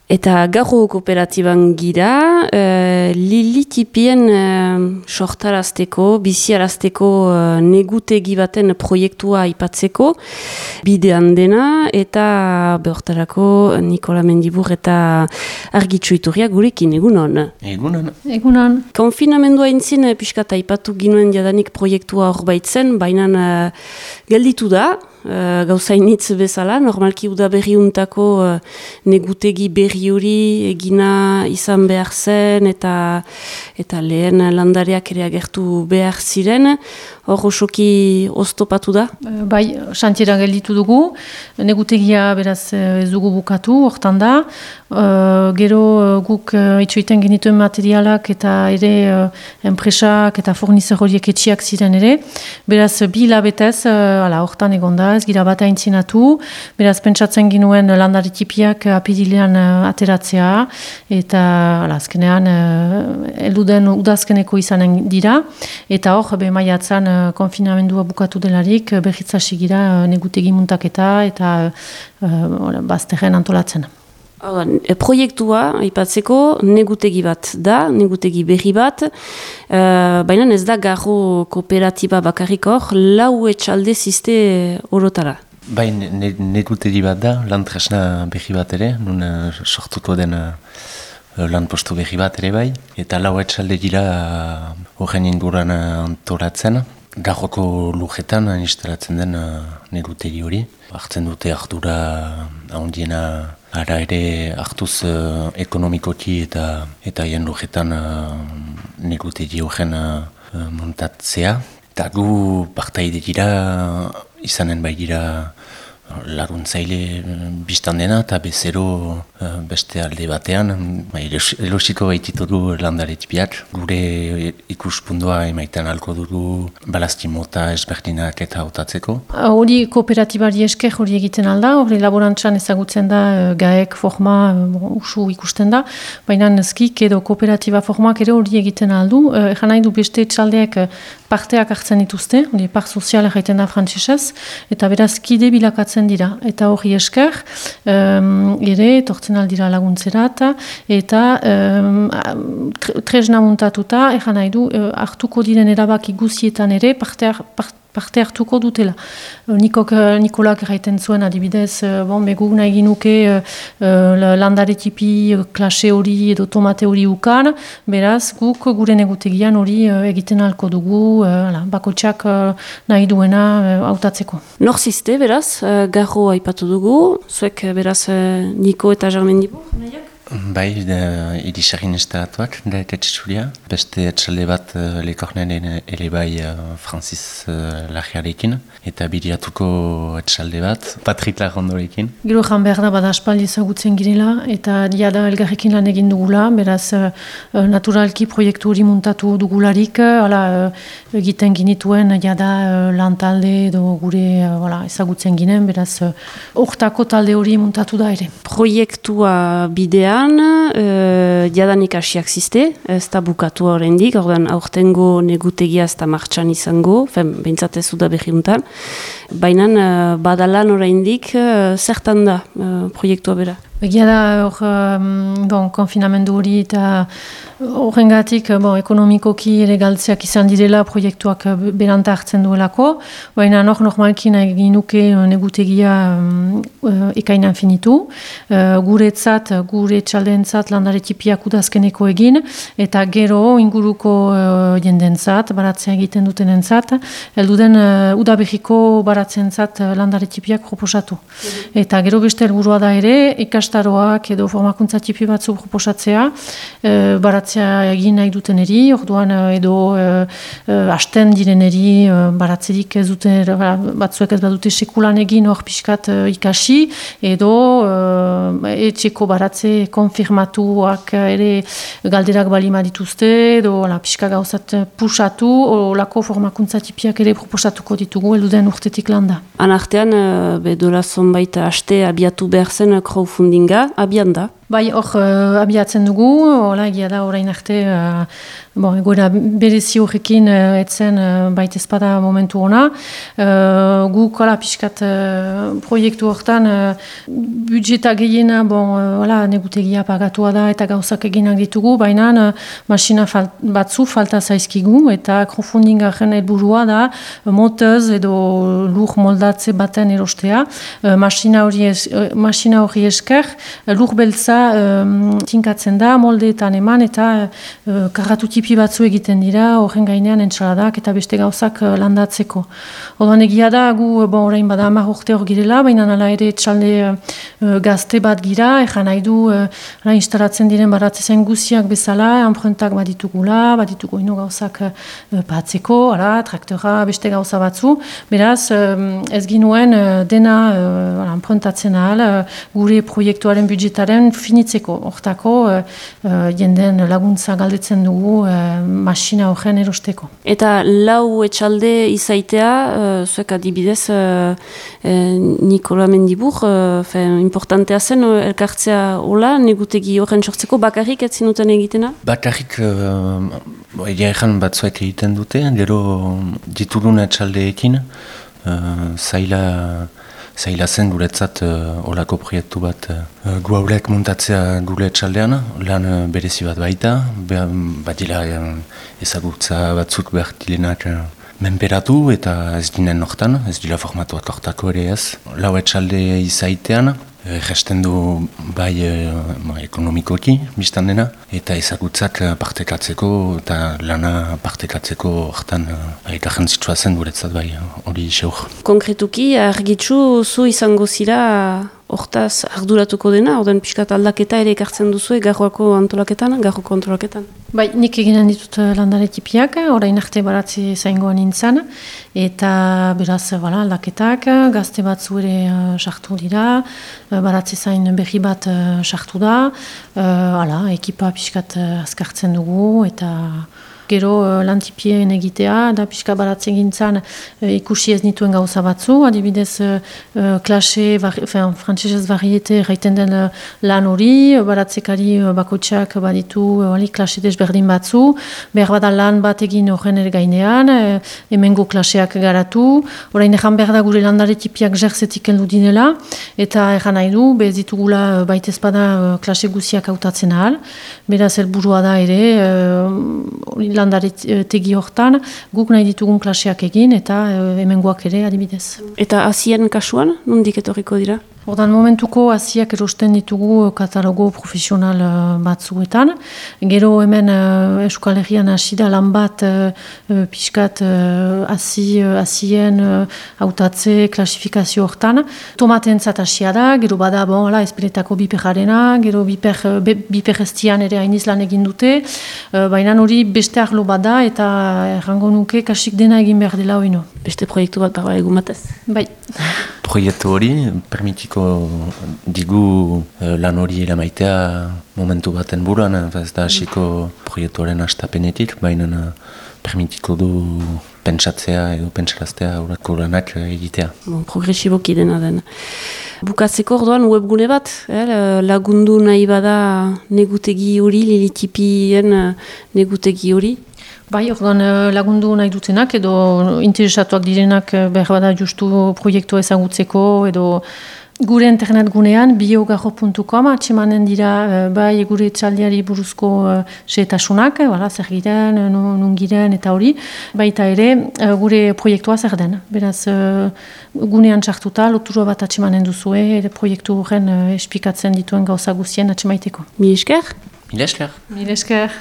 Eta gaur kooperatiban gira, Lilitipien sortarazteko, biziarazteko negutegi baten proiektua aipatzeko bidean dena, eta behortarako Nikola Mendibur eta Argitxu Iturria gurekin, egunon? Egunon. Egunon. Konfinamendua intzin pixkat aipatu ginuen jadanik proiektua hor baitzen, baina gelditu da, gauzainitz bezala, normalki udaberriuntako negutegi berri hori egina izan behar zen eta lehen landareak ere agertu behar ziren, hor osoki oztopatu da? Bai, xantiera gelditu dugu, negutegia beraz ez dugu bukatu, hortan da, gero guk itxoiten genituen materialak eta ere enpresak eta fornizer horiek etxiak ziren ere, beraz bi hilabetez hortan egon da, ez gira bat aintzinatu, beraz pentsatzen ginuen landaritipiak apirilean ateratzea, eta azkenean elduden udazkeneko izanen dira, eta hor maiatzan konfinamendua bukatu delarik, berritzasi gira negutegi muntaketa eta bazterren antolatzen. Proiektua, aipatzeko, negutegi bat da, negutegi berri bat, baina ez da garro kooperatiba bakarrik hor, lau etxalde ziste orotara. Bai, negutegi bat da, lan tresna berri bat ere, nun sortuko den lan postu berri bat ere bai, eta lau etxalde dira horren inguran antolatzen, garroko lujetan instalatzen den negutegi hori. Hartzen dute ardura handiena ara ere hartuz ekonomikoki eta hien lujetan negutegi horren montatzea. Eta gu partaide dira, izanen bai dira laguntzaile biztan dena eta bezero beste alde batean, elosiko baititu du landaretipiak. Gure ikuspundua emaitan alko dugu balazti mota ezberdinak eta hautatzeko. Hori kooperatibari esker hori egiten alda, hori laborantzan ezagutzen da gaek forma usu ikusten da, baina skik edo kooperatiba formak ere hori egiten aldu. Egan nahi du beste txaldeak parteak hartzen dituzte, hori part soziala jaiten da frantzesez, eta beraz kide bilakatzen dira. Eta hori esker, ere, tortzen aldira laguntzerat, eta tresna muntatuta, egan nahi du, hartuko diren erabaki guzietan ere, parte hartuko dutela. Nikolak erraiten zuen adibidez, begu nahi ginuke landaretipi klase hori edo tomate hori ukan, beraz guk gure negutegian hori egiten halko dugu, bakotxak nahi duena hautatzeko. Nor ziste, beraz, garro aipatu dugu, zuek beraz Niko eta Jarmendibu, nahiak? Bai, irisagin instalatuak, da etxetxuria. Beste etxalde bat lekornen ere bai Francis Lagiarekin, eta biriatuko etxalde bat Patrik Lagondorekin. Gero jan behar da bada aspaldi ezagutzen girela, eta diada elgarrekin lan egin dugula, beraz naturalki proiektu hori muntatu dugularik, egiten ginituen jada lantalde edo gure ezagutzen ginen, beraz hortako talde hori muntatu da ere. Proiektua bidea jadanik hasiak ziste, ez da bukatu horrendik, ordan aurtengo negutegia ez da martxan izango, behintzat ez da berriuntan, baina badalan horrendik zertan da proiektua bera? Egia da konfinamendu hori eta horrengatik ekonomikoki ere galtzeak izan direla proiektuak beranta hartzen duelako, baina normalki nahi ginuke negutegia ekainan finitu, gure txaldeentzat landaretipiak udazkeneko egin, eta gero inguruko jendentzat, baratzea egiten dutenentzat, elduden udabehiko baratzentzat landaretipiak proposatu. Eta gero beste helburua da ere, ikastaroak edo formakuntza tipi batzu proposatzea, baratzea egin nahi duteneri, orduan edo hasten direneri baratzerik ez dute, batzuek ez badute sekulan egin hor pixkat ikasi, edo etxeko baratze konfirmatuak ere galderak balima dituzte, edo pixka gauzat pusatu, olako formakuntza tipiak ere proposatuko ditugu, elduden urtetik landa. Anartean, dola zonbait haste abiatu behar zen crowdfundinga, abian da? Bai, hor abiatzen dugu, hola egia da orain arte, egoera berezi horrekin etzen baita ezpada momentu ona. Guk pixkat proiektu hortan budjeta gehiena, negutegia pagatua da eta gauzak eginak ditugu, baina masina batzu falta zaizkigu eta crowdfundingaren helburua da motez edo lur moldatze baten erostea. Masina hori esker, lur beltza tinkatzen da, moldeetan eman eta karratu tipi batzu egiten dira, horren gainean entsaladak eta beste gauzak landatzeko. Orduan egia da, gu orain bada 10 urte hor girela, baina hala ere etxalde gazte bat gira, ejan nahi du instalatzen diren baratzezen guziak bezala, enpruntak baditugula, baditugu ino gauzak patzeko, traktora, beste gauza batzu. Beraz, ez ginuen dena enpruntatzen ahal, gure proiektuaren budjetaren finitzeko. Hortako, jenden laguntza galdetzen dugu masina horren erosteko. Eta lau etxalde izaitea, zuek adibidez, Nikola Mendibur, importantea zen elkartzea hola, negutegi horren sortzeko, bakarrik ez zinuten egitena? Bakarrik, egia ezan batzuek egiten dute, gero ditudun etxaldeekin, zaila zen guretzat olako proiektu bat gu haurek muntatzea gure etxaldean, lan berezi bat baita, badila ezagutza batzuk behar dilenak menperatu eta ez dinen hortan, ez dira formatuak hortako ere ez. Lau etxalde izaitean, gesten du bai ekonomikoki biztan dena, eta ezagutzak partekatzeko eta lana partekatzeko hortan eta jantzitsua zen guretzat bai hori xeur. Konkretuki, argitzu zu izango zira hortaz arduratuko dena, orden pixkat aldaketa ere ekartzen duzu garroako antolaketan, garroko antolaketan? Bai, nik eginen ditut landare tipiak, orain arte baratze zaingoan nintzen, eta beraz aldaketak, gazte batzu ere sartu dira, baratze zain berri bat sartu da, ekipa pixkat azkartzen dugu, eta gero lantipien egitea, da pixka baratzen gintzen ikusi ez nituen gauza batzu, adibidez klase, frantsesez variete gaiten den lan hori, baratzekari bakotxak baditu klase desberdin batzu, behar bada lan bat egin horren ere gainean, hemengo klaseak garatu, orain ejan behar da gure landare tipiak jertzetik heldu dinela, eta ejan nahi du, bez ditugula baitez bada klase guziak hautatzen ahal, beraz helburua da ere, landare tegi hortan, guk nahi ditugun klaseak egin eta hemengoak ere adibidez. Eta hasien kasuan, nondik etorriko dira? Ordan momentuko hasiak erosten ditugu katalogo profesional batzuetan. Gero hemen Euskal Herrian hasi da lan bat pixkat hasien hautatze klasifikazio hortan. Tomatentzat hasia da, gero bada ezpeletako biperjarena, gero biper estian ere hainiz lan egin dute, baina hori beste arlo bada eta errango nuke kasik dena egin behar dela oino. Beste proiektu bat barba egun batez? Bai. Proiektu hori permitiko digu lan hori eramaitea momentu baten buruan, ez da hasiko proiektuaren hastapenetik, baina permitiko du pentsatzea edo pentsaraztea aurrako lanak egitea. Progresiboki dena den. Bukatzeko orduan webgune bat, lagundu nahi bada negutegi hori, lilitipien negutegi hori? Bai, orduan lagundu nahi dutenak edo interesatuak direnak behar bada justu proiektua ezagutzeko edo gure internet gunean biogarro.com atxemanen dira bai gure etxaldiari buruzko xehetasunak, zer giren, nun giren eta hori, baita ere gure proiektua zer den. Beraz, gunean txartuta, lotura bat atxemanen duzue, ere proiektu horren espikatzen dituen gauza guzien atxemaiteko. Mil esker? Mil esker. Mil esker.